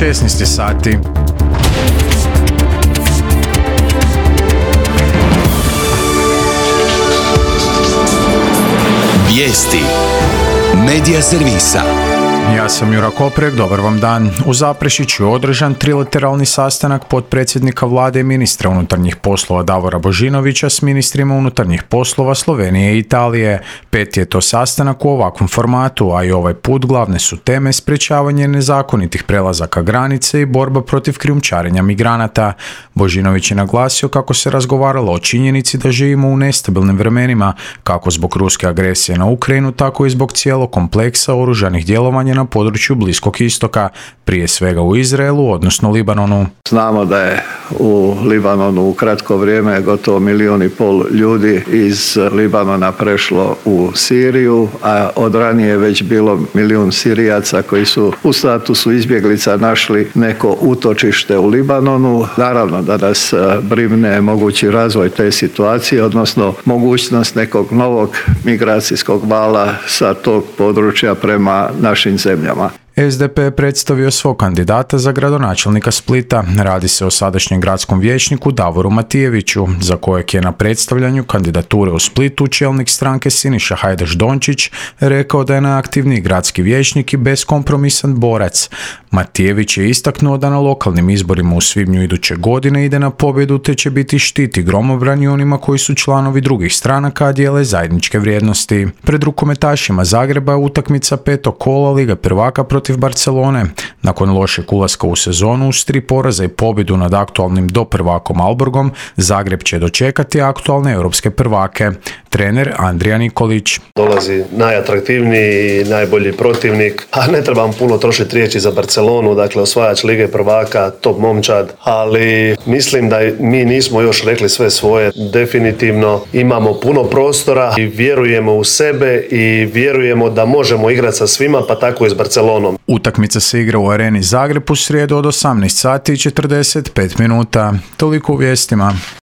16 sati. Vijesti Medija servisa. Ja sam Jura Koprek, dobar vam dan. U Zaprešiću je održan trilateralni sastanak potpredsjednika vlade i ministra unutarnjih poslova Davora Božinovića s ministrima unutarnjih poslova Slovenije i Italije. Peti je to sastanak u ovakvom formatu, a i ovaj put glavne su teme sprječavanje nezakonitih prelazaka granice i borba protiv krijumčarenja migranata. Božinović je naglasio kako se razgovaralo o činjenici da živimo u nestabilnim vremenima, kako zbog ruske agresije na Ukrajinu, tako i zbog cijelog kompleksa oružanih djelovanja na području Bliskog istoka, prije svega u Izraelu, odnosno Libanonu. Znamo da je u Libanonu u kratko vrijeme gotovo 1,5 milijuna ljudi iz Libanona prešlo u Siriju, a od ranije je već bilo 1 milijun Sirijaca koji su u statusu izbjeglica našli neko utočište u Libanonu. Naravno da nas brine mogući razvoj te situacije, odnosno mogućnost nekog novog migracijskog vala sa tog područja prema našim zemljama. SDP je predstavio svog kandidata za gradonačelnika Splita. Radi se o sadašnjem gradskom vijećniku Davoru Matijeviću, za kojeg je na predstavljanju kandidature u Splitu čelnik stranke Siniša Hajdaš Dončić rekao da je najaktivniji gradski vijećnik i beskompromisan borac. Matijević je istaknuo da na lokalnim izborima u svibnju iduće godine ide na pobjedu te će biti štit i gromobran i onima koji su članovi drugih stranaka, a dijele zajedničke vrijednosti. Pred rukometašima Zagreba je utakmica petog kola Lige prvaka protiv Barcelone. Nakon lošeg ulaska u sezonu uz 3 poraza i pobjedu nad aktualnim doprvakom Alborgom, Zagreb će dočekati aktualne europske prvake. Trener Andrija Nikolić. Dolazi najatraktivniji i najbolji protivnik, a ne trebam puno trošiti riječi za Barcelonu, dakle osvajač Lige prvaka, top momčad, ali mislim da mi nismo još rekli sve svoje. Definitivno imamo puno prostora i vjerujemo u sebe i vjerujemo da možemo igrati sa svima, pa tako i s Barcelonom. Utakmica se igra u Areni Zagreb u srijedu od 18 sati i 45 minuta. Toliko u vijestima.